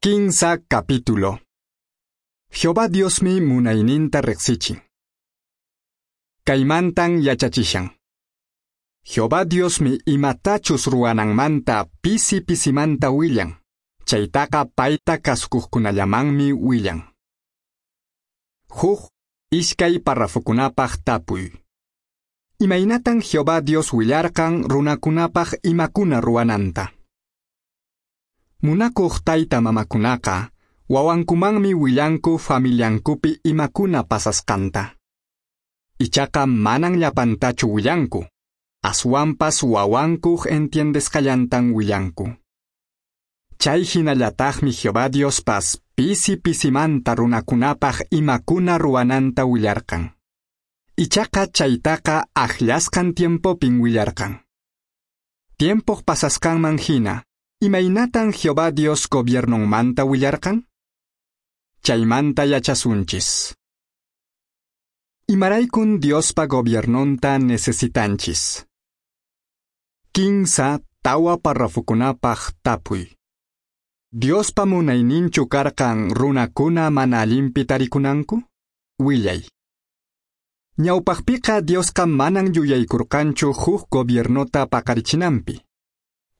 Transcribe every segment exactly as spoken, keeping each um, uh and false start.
Kinsa capítulo. Jehová Diosmi munayninta riqsichin. Kaymantan yachachishan. Jehová Diosmi imatachus ruwananmanta pisi pisimanta willan. Chaytaqa payta kasukuqkunallamanmi willan. Huk iskay parrafokunapaq tapuy. Imaynatan Jehová Dios willarqan runakunapaq imakuna ruwananta. Munakuq tayta mamakunaqa wawankumanmi willanku familiankupi imakuna pasasqanta. Ichaqa manan llapantachu willanku, aswanpas wawankuq entiendesqallantan willanku. Chay hinallataqmi Jehová Diospas pisi pisimanta runakunapaq imakuna ruwananta willarqan. Ichaqa chaytaqa akllasqan tiempopin willarqan. Tiempoq pasasqanman hina, imaynatan Jehová Dios gobiernonmanta willarqan? Chaymanta yachasunchis. Imaraykun Diospa gobiernonta necesitanchis. Kinsa tawa parrafokunapaq tapuy. Diospa munayninchu karqan runakuna mana allinpi tarikunanku? Willay. Ñawpaqpiqa Diosqa manan yuyaykurqanchu huk gobiernota paqarichinanpi.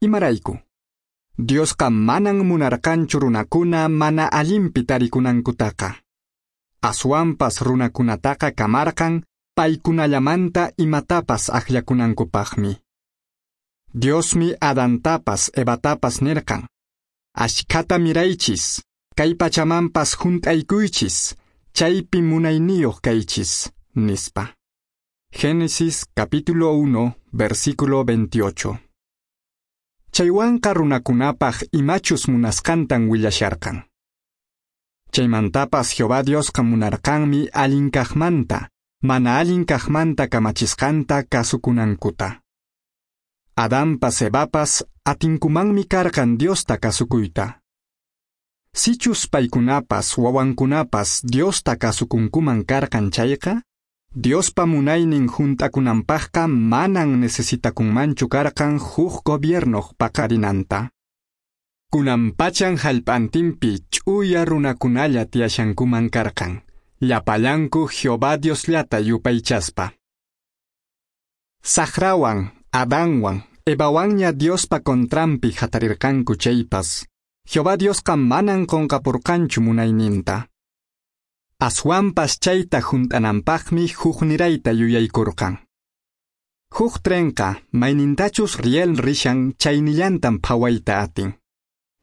Imarayku? Diosqa manan munarqanchu runakuna mana allinpi tarikunankutaqa. Aswanpas runakunataqa kamarqan paykunallamanta imatapas akllakunankupaqmi. Diosmi Adantapas Evatapas nirqan: Ashkhata miraychis, kay pachamanpas hunt'aykuychis, chaypi munayniyuq kaychis, nispa. Génesis capítulo uno, versículo veintiocho. Chaywanqa runakunapaq imachus munasqantan willasharqan. Chaymantapas Jehová Diosqa munarqanmi allin kaqmanta, mana allin kaqmanta kamachisqanta kasukunankuta. Adanpas Evapas atinkumanmi karqan Diosta kasukuyta. Sichus paykunapas wawankunapas Diosta kasukunkuman karqan chayqa, Diospa munaynin hunt'akunanpaqqa manan necesitakunmanchu karqan huk gobiernoq paqarinanta. Kunanpachan hallp'antinpi ch'uya runakunalla tiyashankuman karqan, llapallanku Jehová Diosllata yupaychaspa. Saqrawan, Adanwan, Evawanña Diospa contranpi hatarirqanku chaypas, Jehová Diosqa manan qunqapurqanchu munayninta. Aswanpas chayta hunt'ananpaqmi huknirayta yuyaykurqan. Huk trenqa maynintachus riel rishan chaynillantan phawayta atin.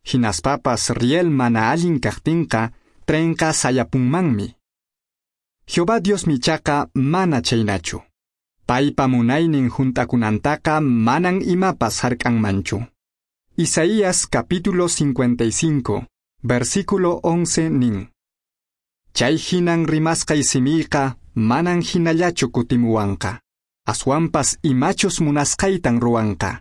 Hinaspapas riel mana allin kaqtinqa trenqa sayapunmanmi. Jehová Diosmi ichaqa mana chaynachu. Paypa munaynin hunt'akunantaqa manan imapas hark'anmanchu. Isaías capítulo cincuenta y cinco, versículo once nin: Chay hinan rimasqay simiyqa manan hinallachu kutimuwanqa. Aswanpas imachus munasqaytan ruwanqa.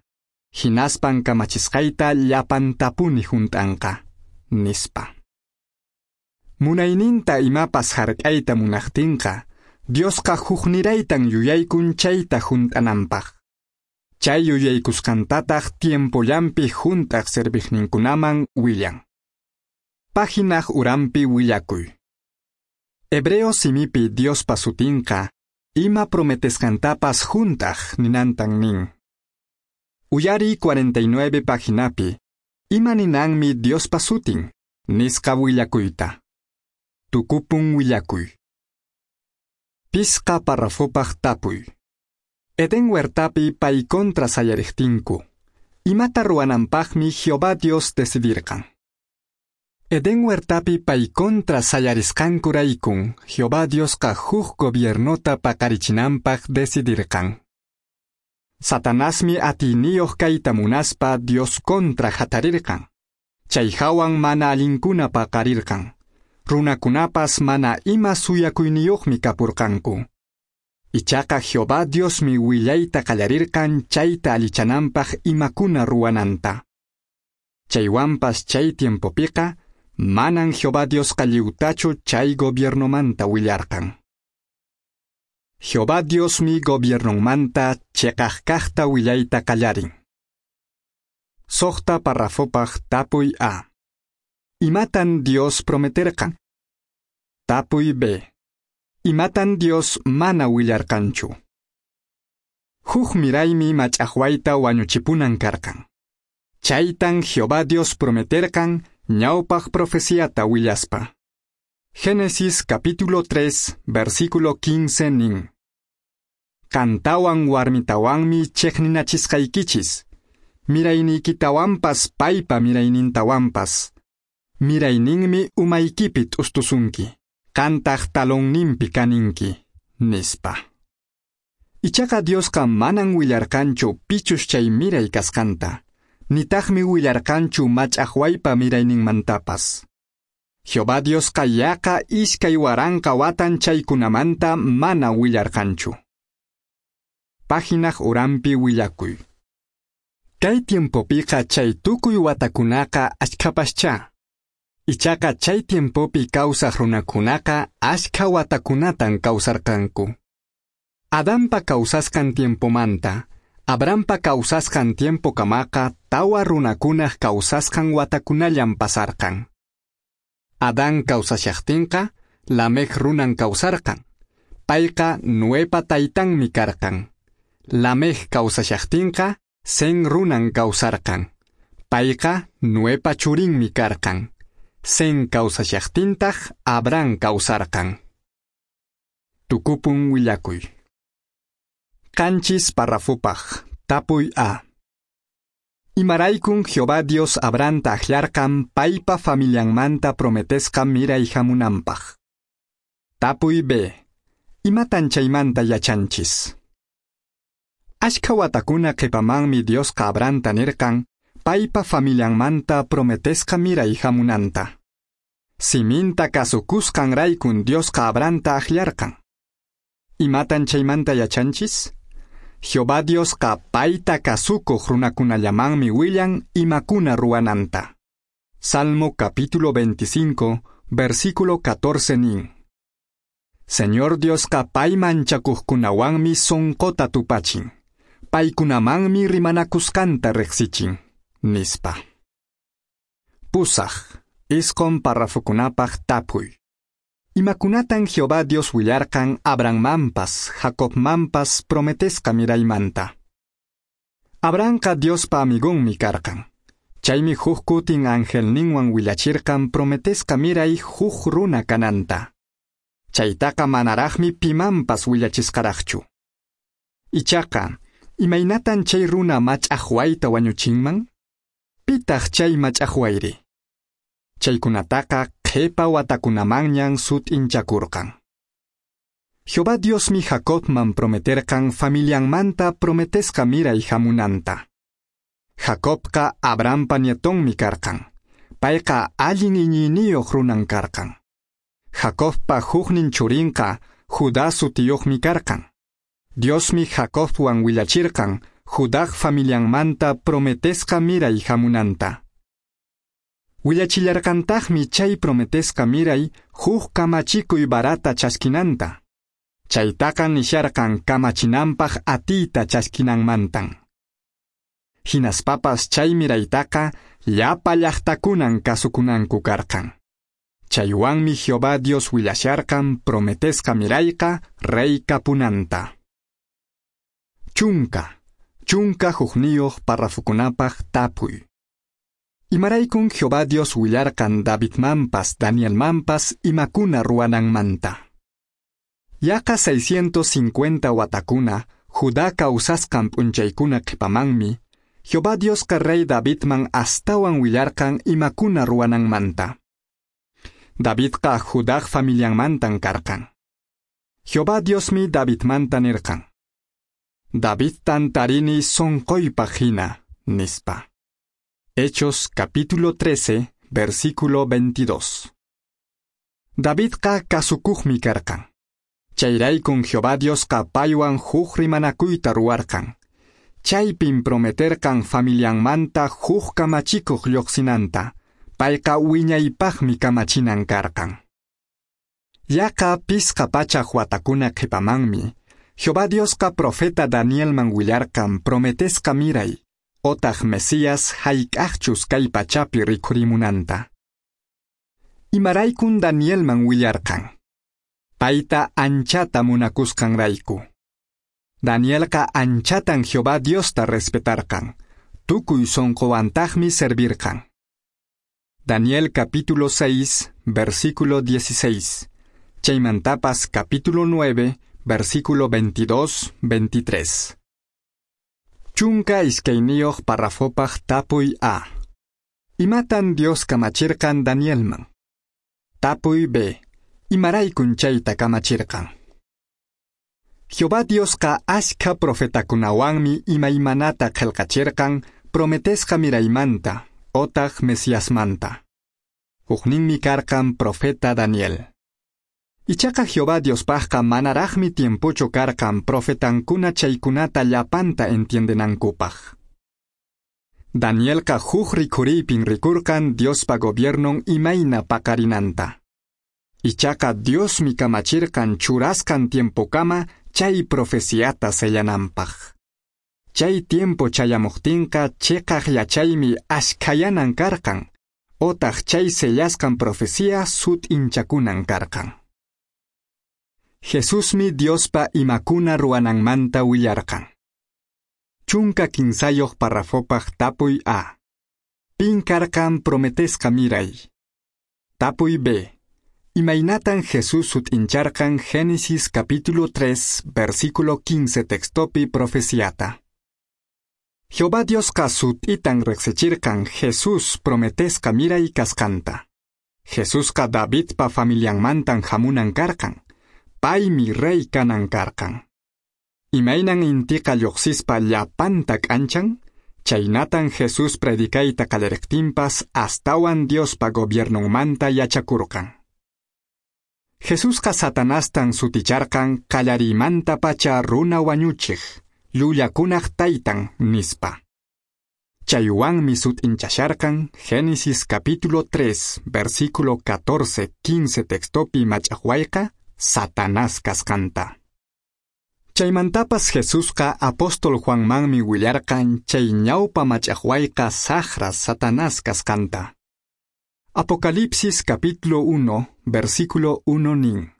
Hinaspan kamachisqayta llapantapuni hunt'anqa, nispa. Munayninta imapas hark'ayta munaqtinqa, Diosqa hukniraytan yuyaykun chayta hunt'ananpaq. Chay yuyaykusqantataq tiempollanpi hunt'aq serviqninkunaman willan. Páginaq uranpi willakuy. Hebreo simipi Diospa sutinqa, ima prometesqantapas hunt'aq ninantan nin. Uyari cuarenta y nueve paginapi, ima ninanmi Diospa sutin, nisqa willakuyta. Tukupun willakuy. Pisqa parrafopaq tapuy. Edén huertapi pay contra sayariqtinku, imata ruwananpaqmi Jehová Dios decidirqan. Edén huertapi pay contra sayarisqankuraykun, Jehová Diosqa huk gobiernota paqarichinanpaq decidirqan. Satanasmi atiyniyuq kayta munaspa Dios contra hatarirqan. Chay hawan mana allinkuna paqarirqan. Runakunapas mana ima suyakuyniyuqmi kapurqanku. Ichaqa Jehová Diosmi willayta qallarirqan chayta allichananpaq imakuna ruwananta. Chaywanpas chay tiempopiqa manan Jehová Diosqa lliwtachu chay gobiernomanta willarqan. Jehová Diosmi gobiernonmanta chiqaq kaqta willayta qallarin. Suqta parrafopaq tapuy A. Imatan Dios prometerqan? Tapuy B. Imatan Dios mana willarqanchu? Huk miraymi mach'aqwayta wañuchipunan karqan. Chaytan Jehová Dios prometerqan ñawpaq profeciata willaspa. Génesis capítulo tres, versículo quince nin. Qantawan warmitawanmi chiqninachisqaykichis, mirayniykitawanpas paypa miraynintawanpas. Mirayninmi umaykipi t'ustusunki, qantaq talonninpi kaninki, nispa. Ichaqa Diosqa manan willarqanchu pichus chay miray kasqanta, nitaqmi willarqanchu mach'aqwaypa mirayninmantapas. Jehová Diosqa yaqa iskay waranqa watan chaykunamanta mana willarqanchu. Páginaq uranpi willakuy. Kay tiempopiqa chay tukuy watakunaqa achkhapaschá. Ichaqa chay tiempopi kawsaq runakunaqa achkha watakunatan kawsarqanku. Adanpa kawsasqan tiempomanta, Abrahampa kawsasqan tiempokamaqa tawa runakunaq kawsasqan watakunallan pasarqan. Adán kawsashaqtinqa, Lamec runan kawsarqan. Payqa Noepa taytanmi karqan. Lamec kawsashaqtinqa, Sen runan kawsarqan. Payqa Noepa churinmi karqan. Sen kawsashaqtintaq Abraham kawsarqan. Tukupun willakuy. Qanchis parrafupaq, tapuy A. Imaraykun Jehová Dios Abrahamta akllarqan paypa familianmanta prometesqa miray hamunanpaq. Tapuy B. Imatan chaymanta yachanchis? Achkha watakuna qhipamanmi Diosqa Abrahamta nirqan paypa familianmanta prometesqa miray hamunanta. Siminta kasukusqanraykun Diosqa Abrahamta akllarqan. Imatan chaymanta yachanchis? Jehová Diosqa payta kasukuq runakunallamanmi willan imakuna ruwananta. Salmo capítulo veinticinco, versículo catorce nin. Señor Diosqa pay manchakuqkunawanmi sunquta tupachin. Paykunamanmi rimanakusqanta riqsichin, nispa. Pusaq, isqun parrafokunapaq tapuy. Imakunatan Jehová Dios willarqan Abrahammanpas, Jacobmanpas prometesqa miraymanta. Abrahamqa Diospa amigonmi karqan. Chaymi huk kutin angelninwan willachirqan prometesqa miray huk runa kananta. Chaytaqa manaraqmi pimanpas willachisqaraqchu. Ichaqa, imaynatan chay runa mach'aqwayta wañuchinman? Pitaq chay mach'aqwayri? Chaykunataqa qhipa watakunamanñan sut'inchakurqan. Jehová Diosmi Jacobman prometerqan familianmanta prometesqa miray hamunanta. Jacobqa Abrahampa nietonmi karqan. Payqa allin iñiyniyuq runan karqan. Jacobpa huknin churinqa Judá sutiyuqmi karqan. Diosmi Jacobwan willachirqan Judá familianmanta prometesqa miray hamunanta. Willachillarqantaqmi chay prometesqa miray huk kamachikuy barata chaskinanta. Chaytaqa nisharqan kamachinanpaq atiyta chaskinanmantan. Hinaspapas chay miraytaqa llapa llaqtakunan kasukunanku karqan. Chaywanmi Jehová Dios willasharqan prometesqa mirayqa rey kapunanta. Chunka, chunka hukniyuq parrafukunapaq tapuy. Imaraykun Jehová Dios willarqan Davidmanpas Danielmanpas imakuna ruwananmanta. Yaqa seiscientos cincuenta watakuna Judá kawsasqan p'unchaykuna qhipamanmi, Jehová Diosqa rey Davidman astawan willarqan imakuna ruwananmanta. Davidqa Judá familianmantan karqan. Jehová Diosmi Davidmanta nirqan. Davidtan tarini sonqoypaq hina, nispa. Hechos capítulo trece, versículo veintidós. Davidqa kasukuqmi karqan. Chayraykun Jehová Diosqa paywan huk rimanakuyta ruwarqan. Chaypin prometerqan familianmanta huk kamachikuq lluqsinanta. Payqa wiñaypaqmi kamachinan karqan. Yaqa pisqa pachak watakuna qhipamanmi, Jehová Diosqa profeta Danielman willarqan prometesqa miray, otaq Mesías hayk'aqchus kay pachapi rikhurimunanta. Imaraykun Danielman willarqan? Payta anchata munakusqanrayku. Danielqa anchatan Jehová Diosta respetarqan. Tukuy sonqowantaqmi servirqan. Daniel capítulo seis, versículo dieciséis. Chaymantapas capítulo nueve, versículo veintidós, veintitrés. Chunka iskayniyuq parrafopaq tapuy A. Imatan Dios kamachirqan Danielman? Tapuy B. Imaraykun chayta kamachirqan? Jehová Diosqa ashkha profetakunawanmi imaymanata qhelqachirqan prometesqa miraymanta, otaq Mesiasmanta. Hukninmi karqan profeta Daniel. Ichaqa Jehová Diospaqqa manaraqmi tiempochu karqan profetankuna chaykunata llapanta entiendenankupaq. Danielqa huk rikhuriypin rikurqan Diospa gobiernon imayna paqarinanta. Ichaqa Diosmi kamachirqan churasqan tiempokama chay profeciata sellananpaq. Chay tiempo chayamuqtinqa chiqaq yachaymi ashkhayanan karqan, otaq chay sellasqan profecía sut'inchakunan karqan. Jesusmi Diospa imakuna ruwananmanta willarqan. Chunka kinsayuq parrafopaq tapuy A. Pin karqan prometesqa miray? Tapuy B. Imaynatan Jesús sut'incharqan Génesis capítulo tres, versículo quince textopi profeciata. Jehová Diosqa sut'itan riqsichirqan Jesús prometesqa miray kasqanta. Jesusqa Davidpa familianmantan hamunan karqan. Paymi rey kanan karqan. Imaynan intiqa lluqsispa llapanta k'anchan, chaynatan Jesús predicayta qallariqtinpas astawan Diospa gobiernonmanta yachakurqan. Jesusqa Satanastan suticharqan qallariymantapacha runa wañuchiq, llullakunaq taytan nispa. Chaywanmi sut'inchasharqan Génesis capítulo tres, versículo catorce, quince textopi mach'aqwayqa Satanás kasqanta. Chaymantapas Jesusqa apóstol Juanmanmi willarqan chay ñawpa mach'aqwayqa saqra Satanás kasqanta. Apocalipsis capítulo uno, versículo uno nin.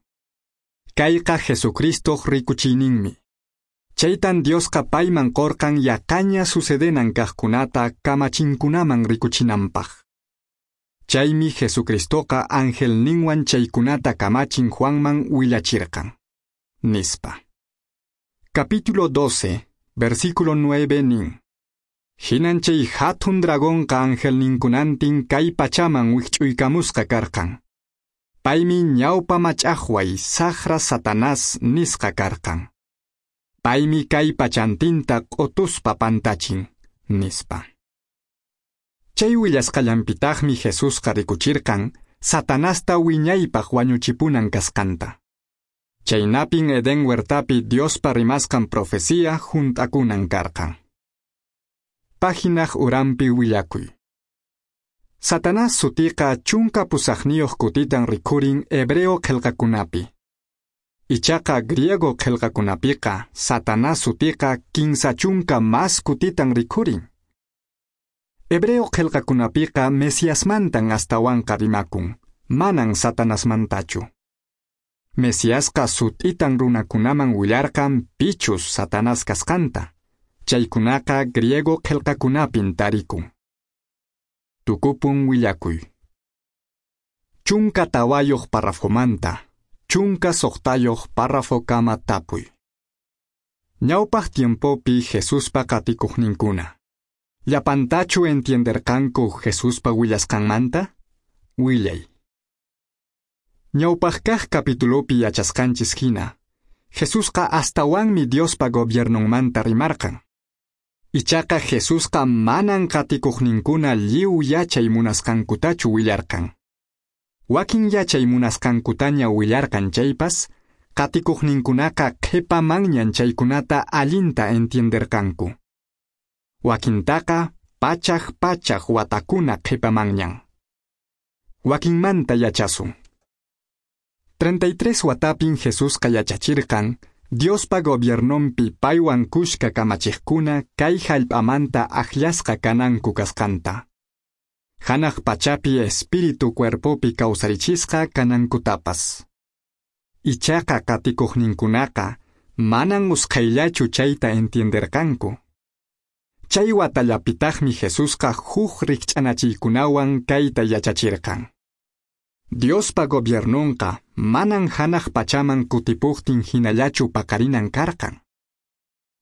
Kayqa Jesucristoq rikuchiyninmi. Chaytan Diosqa payman qorqan yaqaña sucedenan kaqkunata kamachinkunaman rikuchinanpaq. Chaymi Jesucristoqa angelninwan chaykunata kamachin Juanman willachirqan. Nispa. Capítulo doce, versículo nueve nin. Hinan chay hatun dragonqa angelninkunantin kay pachaman wikch'uykamusqa karqan. Paymi ñawpa mach'aqway saqra Satanás nisqa karqan. Paymi kay pachantinta q'utuspa pantachin, nispa. Chay willasqallanpitaqmi Jesusqa rikuchirqan Satanasta wiñaypaq wañuchipunan kasqanta. Chaynapin Edén huertapi Diospa rimasqan profecía hunt'akunan karqan. Páginaq uranpi willakuy. Satanás sutiqa chunka pusaqniyuq kutitan rikhurin hebreo qillqakunapi. Ichaqa griego qillqakunapiqa Satanás sutiqa kinsa chunka mas kutitan rikhurin. Hebreo qillqakunapiqa Mesiasmantan astawanqa rimakun, manan Satanasmantachu. Mesiasqa sut'itan runakunaman willarqan pichus Satanás kasqanta. Chaykunaqa griego qillqakunapin tarikun. Tukupun willakuy. Chunka tawayuq parrafomanta, chunka suqtayuq párrafokama tapuy. Ñawpaq tiempopi Jesuspa qatikuqninkuna. Llapantachu entienderqanku Jesuspa willasqanmanta? Willay. Ñawpaq kaq capitulopi yachasqanchis hina, Jesusqa astawanmi Diospa gobiernonmanta rimarqan. Ichaqa Jesusqa manan qatikuqninkuna lliw yachay munasqankutachu willarqan. Wakin yachay munasqankutaña willarqan chaypas, qatikuqninkunaqa qhipamanñan chaykunata allinta entienderqanku. Wakintaqa pachaq pachaq watakuna qhipamanñan. Wakinmanta yachasun. treinta y tres watapin Jesusqa yachachirqan Diospa gobiernonpi paywan kushka kamachiqkuna kay hallp'amanta akllasqa kananku kasqanta. Hanaq pachapi espíritu cuerpopi kawsarichisqa kanankutapas. Ichaqa qatikuqninkunaqa manan usqhayllachu chayta entienderqanku. Chay watallapitaqmi Jesusqa huk rikch'anachiykunawan kayta yachachirqan. Diospa gobiernonqa manan hanaq pachaman kutipuqtin hinallachu paqarinan karqan.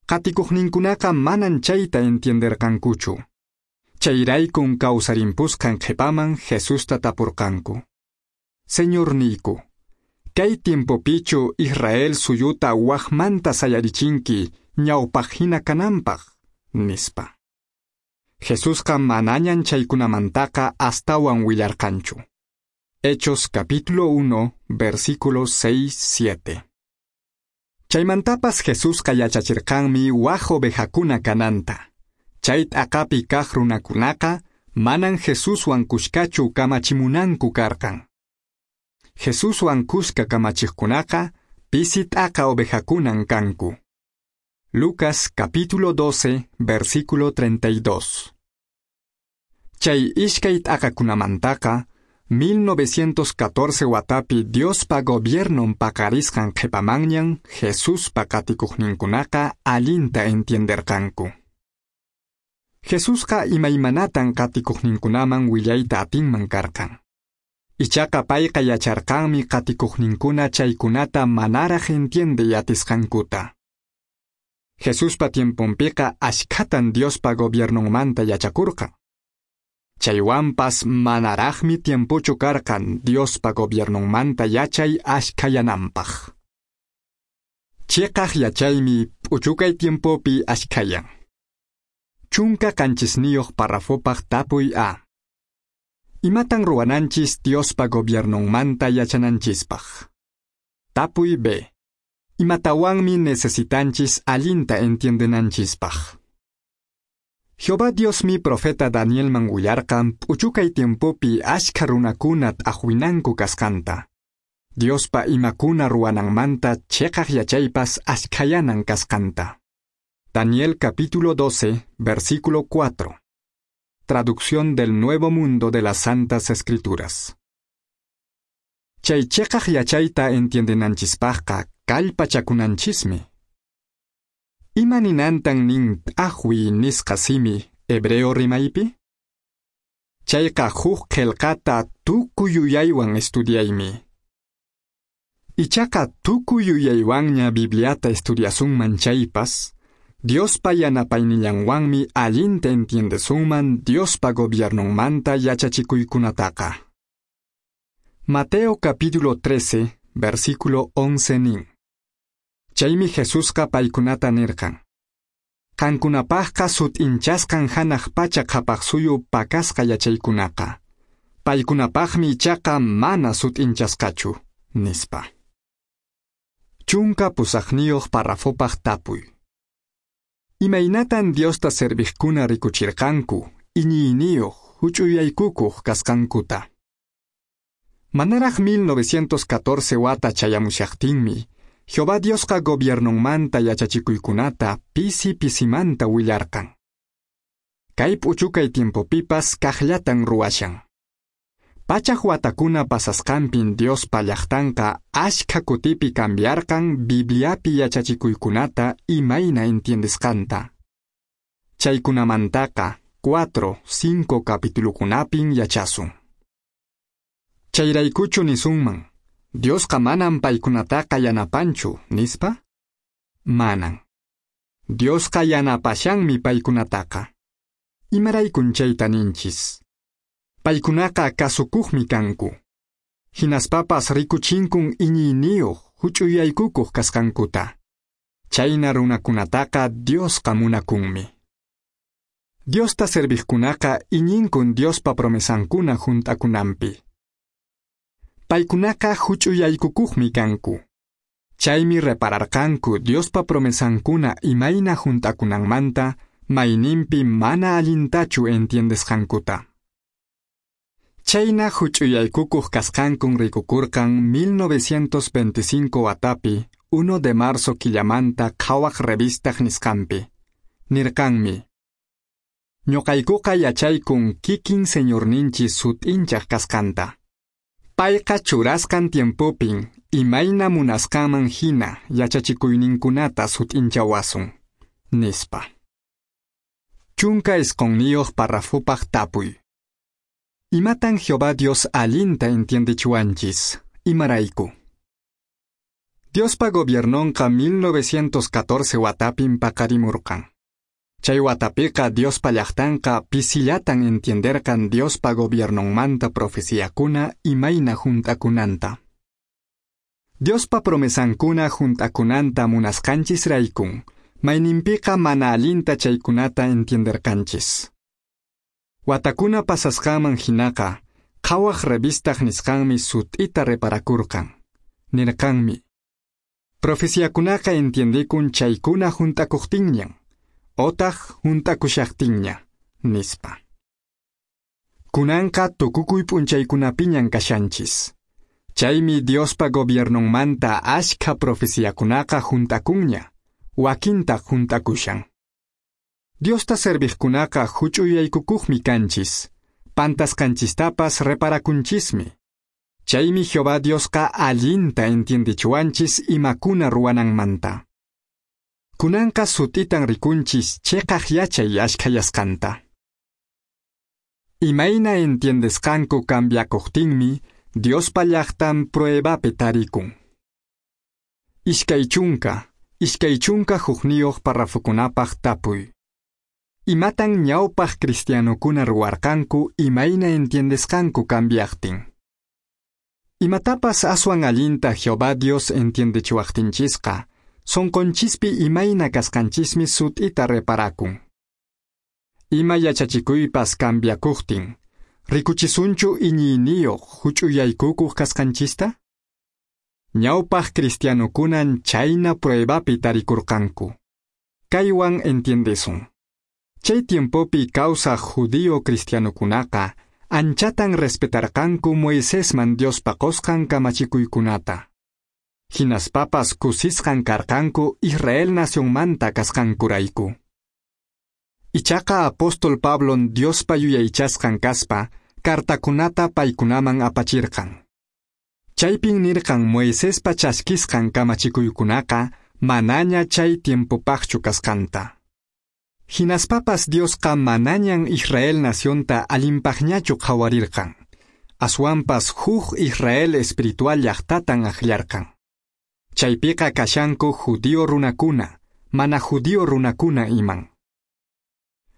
Qatikuqninkunaqa manan chayta entienderqankuchu. Chayraykun kawsarimpusqan qhipaman Jesusta tapurqanku. Señorniyku, kay tiempopichu Israel suyuta waqmanta sayarichinki ñawpaq hina kananpaq, nispa. Jesusqa manañan chaykunamantaqa astawan willarqanchu. Hechos capítulo uno, versículos seis, siete. Chaymantapas Jesusqa yachachirqanmi waq ovejakuna kananta. Chay t'aqapi kaq runakunaqa manan Jesuswan kushkachu kamachimunanku karqan. Jesuswan kushka kamachiqkunaqa pisi t'aqa ovejakunan kanku. Lucas capítulo doce, versículo treinta y dos. Chay ishkay t'aqakunamantaqa mil novecientos catorce watapi Diospa gobiernon paqarisqan qhipamanñan Jesuspa qatikuqninkunaqa allinta entienderqanku. Jesusqa imaymanatan qatikuqninkunaman willayta atinman karqan. Ichaqa payqa yacharqanmi qatikuqninkuna chaykunata manaraq entiende atisqankuta. Jesuspa tiemponpiqa ashkhatan Diospa gobiernonmanta yachakurqan. Chaywanpas manaraqmi tiempochu karqan Diospa gobiernonmanta yachay ashkhayananpaq. Chiqaq yachaymi p'uchukay tiempopi ashkhayan. Chunka qanchisniyuq parrafopaq tapuy A. Imatan ruwananchis Diospa gobiernonmanta yachananchispaq? Tapuy B. Imatawanmi necesitanchis allinta entiendenanchispaq? Jehová Diosmi profeta Danielman willarqan p'uchukay tiempopi ashkha runakuna t'aqwinanku kasqanta. Diospa imakuna ruwananmanta chiqaq yachaypas ashkhayanan kasqanta. Daniel capítulo doce, versículo cuatro. Traducción del Nuevo Mundo de las Santas Escrituras. Chay chiqaq yachayta entiendenanchispaqqa kallpachakunanchismi. Ima ninantan nin t'aqwi nisqa simi hebreo rimaypi? Chayqa huk qillqata tukuy yuyaywan estudiaymi. Ichaqa tukuy yuyaywanña Bibliata estudiasunman chaypas, Diospa yanapaynillanwanmi allinta entiendesunman Diospa gobiernonmanta yachachikuykunataqa. Mateo capítulo trece, versículo once nin. Chaymi Jesusqa paykunata nirqan. Qankunapaqqa sut'inchasqan hanaq pacha qhapaq suyu pakasqa yachaykunaqa. Paykunapaqmi ichaqa mana sut'inchasqachu, nispa. Chunka pusaqniyuq parrafopaq tapuy. Imaynatan Diosta serviqkuna rikuchirqanku, iñiyniyuq, huch'uyaykukuq kasqankuta. Manaraq mil novecientos catorce wata chayamushaqtinmi, Jehová Diosqa gobiernonmanta yachachikuykunata pisi pisimanta willarqan. Kay p'uchukay tiempopipas kaqllatan ruwashan. Pachak watakuna pasasqanpin Diospa llaqtanqa ashkha kutipi cambiarqan Bibliapi yachachikuykunata imayna entiendesqanta. Chaykunamantaqa cuatro, cinco capitulukunapin yachasun. Chayraykuchu nisunman, Diosqa manan paykunataqa yanapanchu, nispa? Manan. Diosqa yanapashanmi paykunataqa. Imaraykun chayta ninchis? Paykunaqa kasukuqmi kanku. Hinaspapas rikuchinkun iñiyniyuq, huch'uyaykukuq kasqankuta. Chayna runakunataqa Diosqa munakunmi. Diosta serviqkunaqa iñinkun Diospa promesankuna hunt'akunanpi. Paykunaqa huch'uyaykukuqmi kanku. Chaymi repararqanku Diospa promesankuna imayna hunt'akunanmanta mayninpi mana allintachu entiendesqankuta. Chayna huch'uyaykukuq kasqankun rikukurqan mil novecientos veinticinco watapi uno de marzo killamanta Qhawaq revistaq nisqanpi. Nirqanmi: Ñuqaykuqa yachaykun kikin Señorninchis sut'inchaq kasqanta. Payqa churasqan tiempopin imayna munasqanman hina yachachikuyninkunata sut'inchawasun, nispa. Chunka isqonniyuq parrafopaq tapuy. Imatan Jehová Dios allinta entiendechiwanchis? Imarayku. Diospa gobiernonqa mil novecientos catorce watapin paqarimurqan. Chay watapiqa Diospa llaqtanqa pisillatan entienderqan Diospa gobiernonmanta profeciakuna imayna hunt'akunanta. Diospa promesankuna hunt'akunanta munasqanchisraykun, mayninpiqa mana allinta chaykunata entienderqanchis. Watakuna pasasqanman hinaqa, Qhawaq revistaq nisqanmi sut'ita reparakurqan. Nirqanmi: Profeciakunaqa entiendekun chaykuna hunt'akuqtinñan, otaq hunt'akushaqtinña, nispa. Kunanqa tukukuy p'unchaykunapiñan kashanchis. Chaymi Diospa gobiernonmanta ashkha profeciakunaqa hunt'akunña, wakintaq hunt'akushan. Diosta serviqkunaqa huch'uyaykukuqmi kanchis, pantasqanchistapas reparakunchismi. Chaymi Jehová Diosqa allinta entiendechiwanchis imakuna ruwananmanta. Kunanqa sut'itan rikunchis cheqaq yachay ashkhayasqanta. Imayna entiendesqanku cambiakuqtinmi Diospa llaqtan pruebapi tarikun. Iskay chunka, iskay chunka hukniyuq parrafokunapaq tapuy. Imatan ñawpaq cristianokuna ruwarqanku imayna entiendesqanku cambiaqtin? Imatapas aswan allinta Jehová Dios entiendechiwaqtinchisqa, sonqonchispi imayna kasqanchismi sut'ita reparakun. Ima yachachikuypas cambiakuqtin, rikuchisunchu iñiyniyuq huch'uyaykukuq kasqanchista? Ñawpaq cristianokunan chayna pruebapi tarikurqanku. Kaywan entiendesun. Chay tiempopi kawsaq judío cristianokunaqa anchatan respetarqanku Moisesman Diospa qosqan kamachikuykunata. Hinaspapas kusisqan karqanku Israel nacionmanta kasqankurayku. Ichaqa apóstol Pablon Diospa yuyaychasqan kaspa kartakunata paykunaman apachirqan. Chaypin nirqan Moisespa chaskisqan kamachikuykunaqa manaña chay tiempopaqchu kasqanta. Hinaspapas Diosqa manañan Israel nacionta allinpaqñachu qhawarirqan. Aswanpas huk Israel espiritual llaqtatan akllarqan. Chaypiqa kashanku judío runakuna, mana judío runakuna iman.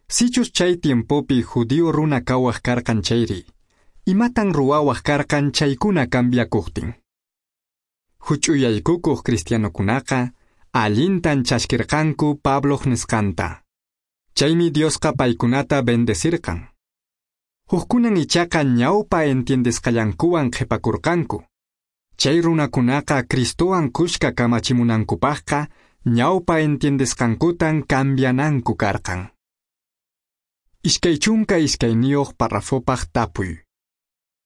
Sichus chay tiempopi judío runa kawaq karqan chayri, imatan ruwawaq karqan chaykuna cambiakuqtin? Huch'uyaykukuq cristianokunaqa allintan chaskirqanku Pabloq nisqanta. Chaymi Diosqa paykunata bendecirqan. Hukkunan ichaqa ñawpa entiendesqallankuwan qhipakurqanku. Chay runakunaqa Cristowan kushka kamachimunankupaqqa ñawpa entiendesqankutan cambiananku karqan. Iskay chunka iskayniyuq parrafopaq tapuy.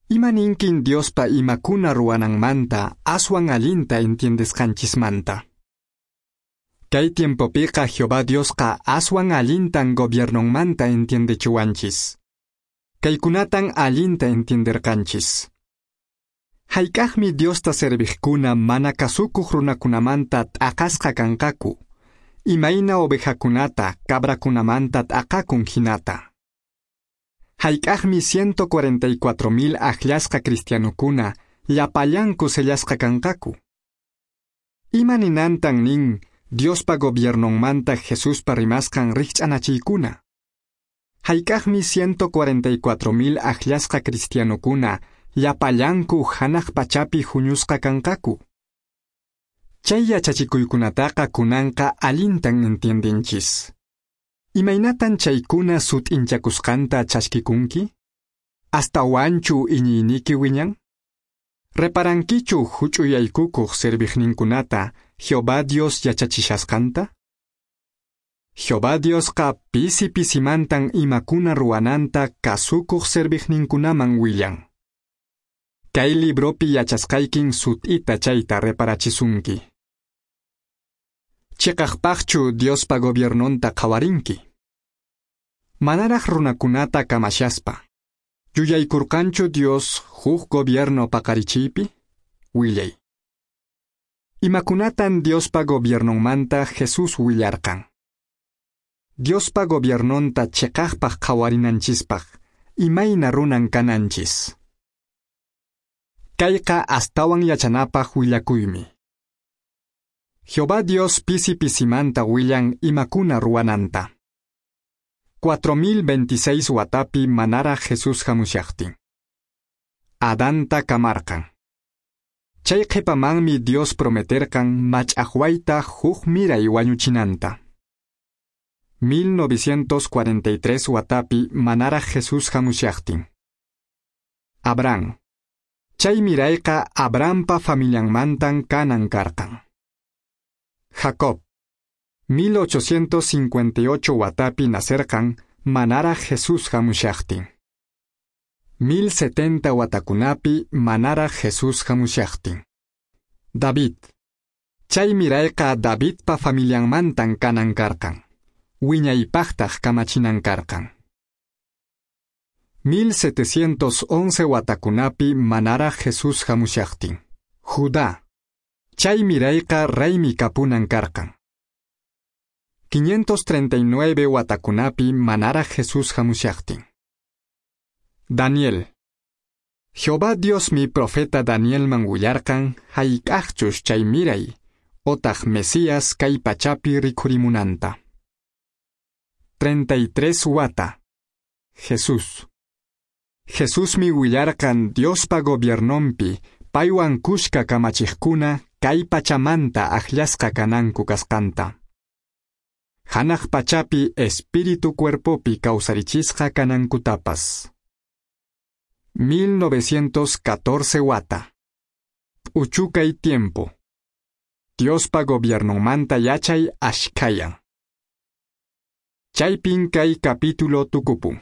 Ima ninkin Diospa imakuna ruwananmanta aswan allinta entiendesqanchismanta? Kay tiempopiqa Jehová Diosqa aswan allintan gobiernonmanta entiendechiwanchis. Kaykunatan allinta entienderqanchis. Hayk'aqmi Diosta serviqkuna mana kasukuq runakunamanta t'aqasqa kanqaku, imayna ovejakunata cabrakunamanta t'aqakun hinata. Hayk'aqmi ciento cuarenta y cuatro mil akllasqa cristianokuna llapallanku sellasqa kanqaku. Ima ninantan nin Diospa gobiernonmanta Jesuspa rimasqan rikch'anachiykuna? Hayk'aqmi ciento cuarenta y cuatro mil akllasqa cristianokuna llapallanku hanaq pachapi huñusqa kanqaku? Chay yachachikuykunataqa kunanqa allintan entiendinchis. Imaynatan chaykuna sut'inchakusqanta chaskikunki? Astawanchu iñiyniki wiñan? Reparankichu huch'uyaykukuq serviqninkunata Jehová Dios yachachishasqanta? Jehová Diosqa pisi pisimantan imakuna ruwananta kasukuq serviqninkunaman willan. Kay libropi yachasqaykin sut'ita chayta reparachisunki. Chiqaqpaqchu Diospa gobiernonta qhawarinki? Manaraq runakunata kamashaspa. Yuyaykurqanchu Dios huk gobierno paqarichiypi? Willay. Imakunatan Diospa gobiernonmanta Jesus willarqan. Diospa gobiernonta cheqaqpaq qhawarinanchispaq, imayna runan kananchis. Kayqa astawan yachanapaq willakuymi. Jehová Dios pisi pisimanta willan imakuna ruwananta. cuatro mil veintiséis watapi manaraq Jesus hamushaqtin. Adanta kamarqan. Chay qhipamanmi Dios prometerqan mach'aqwayta huk miray wañuchinanta. mil novecientos cuarenta y tres watapi manaraq Jesus hamushaqtin. Abraham. Chay mirayqa Abrahampa familianmantan kanan karqan. Jacob. mil ochocientos cincuenta y ocho watapi nacerqan manaraq Jesus hamushaqtin. mil setenta watakunapi manaraq Jesus hamushaqtin. David. Chay mirayqa Davidpa familianmantan kanan karqan. Wiñaypaqtaq kamachinan karqan. mil setecientos once watakunapi manaraq Jesus hamushaqtin. Judá. Chay mirayqa raymi kapunan karqan. quinientos treinta y nueve watakunapi manaraq Jesus hamushaqtin. Daniel. Jehová Diosmi profeta Danielman willarqan hayk'aqchus chay miray, otaq Mesías kay pachapi rikhurimunanta. treinta y tres wata. Jesús. Jesusmi willarqan Diospa gobiernonpi paywan kushka kamachiqkuna kay pachamanta akllasqa kananku kasqanta. Hanaq pachapi espíritu cuerpopi kawsarichisqa kanankutapas. mil novecientos catorce wata. P'uchukay tiempo. Diospa gobiernonmanta yachay ashkhayan. Chaypin kay capítulo tukupun.